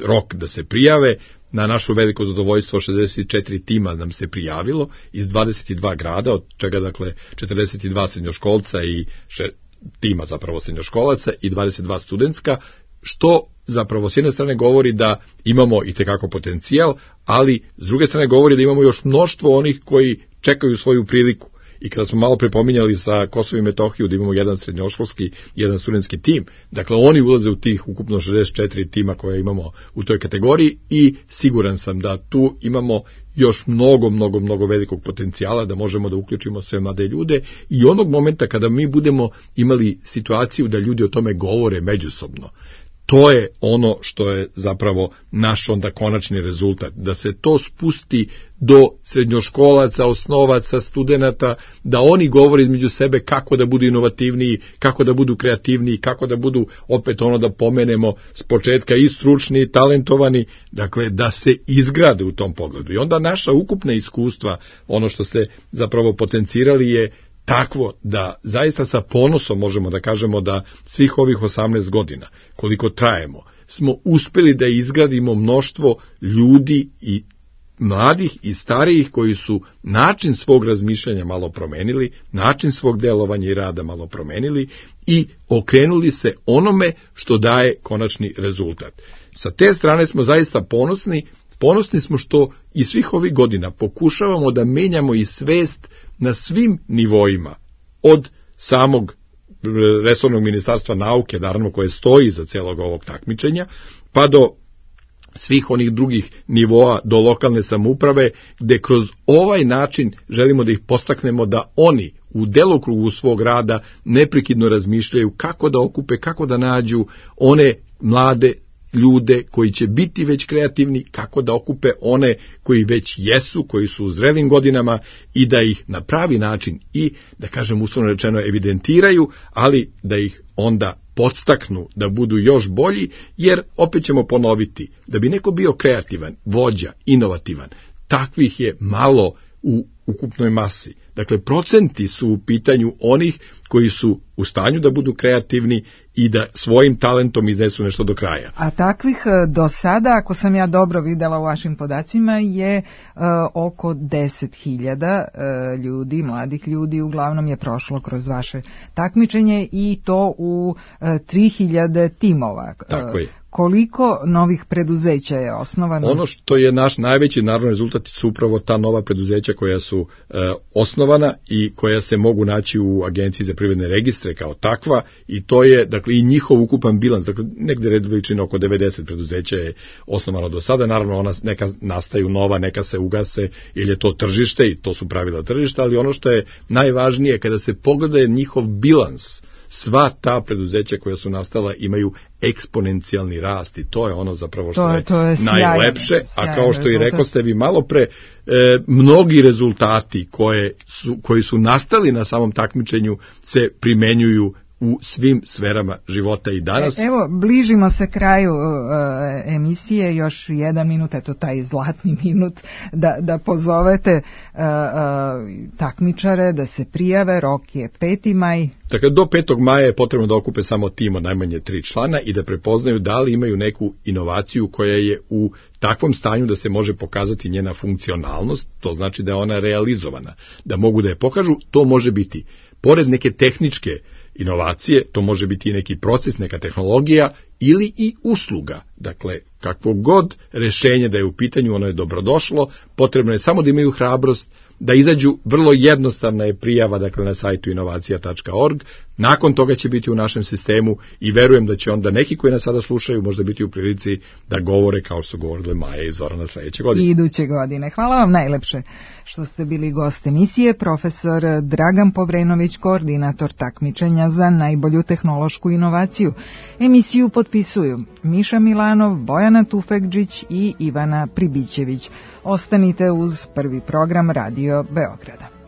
R: rok da se prijave. Na našu veliko zadovoljstvo šezdeset četiri tima nam se prijavilo iz dvadeset dva grada, od čega, dakle, četrdeset dva srednjoškolca i še, tima zapravo srednjoškolaca i dvadeset dva studentska, što zapravo s jedne strane govori da imamo i tekako potencijal, ali s druge strane govori da imamo još mnoštvo onih koji čekaju svoju priliku. I kada smo malo prepominjali sa Kosovo i Metohiju da imamo jedan srednjoškolski, jedan studentski tim, dakle oni ulaze u tih ukupno šezdeset četiri tima koje imamo u toj kategoriji i siguran sam da tu imamo još mnogo, mnogo, mnogo velikog potencijala da možemo da uključimo sve mlade ljude i onog momenta kada mi budemo imali situaciju da ljudi o tome govore međusobno. To je ono što je zapravo naš onda konačni rezultat, da se to spusti do srednjoškolaca, osnovaca, studenata, da oni govore između sebe kako da budu inovativniji, kako da budu kreativniji, kako da budu, opet ono da pomenemo s početka, i stručni i talentovani, dakle da se izgrade u tom pogledu. I onda naša ukupna iskustva, ono što ste zapravo potencirali, je takvo da zaista sa ponosom možemo da kažemo da svih ovih osamnaest godina, koliko trajemo, smo uspeli da izgradimo mnoštvo ljudi i mladih i starijih koji su način svog razmišljanja malo promenili, način svog delovanja i rada malo promenili i okrenuli se onome što daje konačni rezultat. Sa te strane smo zaista ponosni, ponosni smo što i svih ovih godina pokušavamo da menjamo i svest na svim nivoima, od samog resornog ministarstva nauke, naravno koje stoji za celog ovog takmičenja, pa do svih onih drugih nivoa, do lokalne samouprave, gde kroz ovaj način želimo da ih podstaknemo da oni u delokrugu svog rada neprekidno razmišljaju kako da okupe, kako da nađu one mlade ljude koji će biti već kreativni, kako da okupe one koji već jesu, koji su u zrelim godinama i da ih na pravi način i, da kažem uslovno rečeno, evidentiraju, ali da ih onda podstaknu da budu još bolji, jer opet ćemo ponoviti, da bi neko bio kreativan, vođa, inovativan, takvih je malo u ukupnoj masi. Dakle, procenti su u pitanju onih koji su u stanju da budu kreativni i da svojim talentom iznesu nešto do kraja.
D: A takvih do sada, ako sam ja dobro videla u vašim podacima, je uh, oko deset hiljada uh, ljudi, mladih ljudi, uglavnom je prošlo kroz vaše takmičenje i to u uh, tri hiljade timova.
R: Tako je.
D: Koliko novih preduzeća je osnovano?
R: Ono što je naš najveći naravno rezultat su upravo ta nova preduzeća koja su e, osnovana i koja se mogu naći u Agenciji za privredne registre kao takva, i to je, dakle, i njihov ukupan bilans, dakle negde red veličine oko devedeset preduzeća je osnovano do sada, naravno ona neka nastaju nova, neka se ugase, jer je to tržište i to su pravila tržišta, ali ono što je najvažnije kada se pogleda njihov bilans, sva ta preduzeća koja su nastala imaju eksponencijalni rast i to je ono zapravo što
D: to,
R: je,
D: to je
R: najlepše,
D: sjajno,
R: a kao što i
D: rezultat.
R: rekoste vi malo pre, e, mnogi rezultati koje su, koji su nastali na samom takmičenju se primenjuju u svim sferama života i danas.
D: E, evo, bližimo se kraju uh, emisije, još jedan minut, eto taj zlatni minut, da, da pozovete uh, uh, takmičare da se prijave, rok je peti maj.
R: Dakle, do petog maja je potrebno da okupe samo tim od najmanje tri člana i da prepoznaju da li imaju neku inovaciju koja je u takvom stanju da se može pokazati njena funkcionalnost, to znači da je ona realizovana, da mogu da je pokažu. To može biti pored neke tehničke inovacije, to može biti i neki proces, neka tehnologija ili i usluga. Dakle, kakvo god rešenje da je u pitanju, ono je dobrodošlo, potrebno je samo da imaju hrabrost da izađu. Vrlo jednostavna je prijava, dakle, na sajtu inovacija tačka org, nakon toga će biti u našem sistemu i verujem da će onda neki koji nas sada slušaju možda biti u prilici da govore kao što su govorile Maja i Zorana sledeće godine.
D: I iduće godine. Hvala vam najlepše što ste bili gost emisije, profesor Dragan Povrenović, koordinator takmičenja za najbolju tehnološku inovaciju. Emisiju potpisuju Miša Milanov, Bojana Tufekđić i Ivana Pribićević. Ostanite uz prvi program Radio Beograda.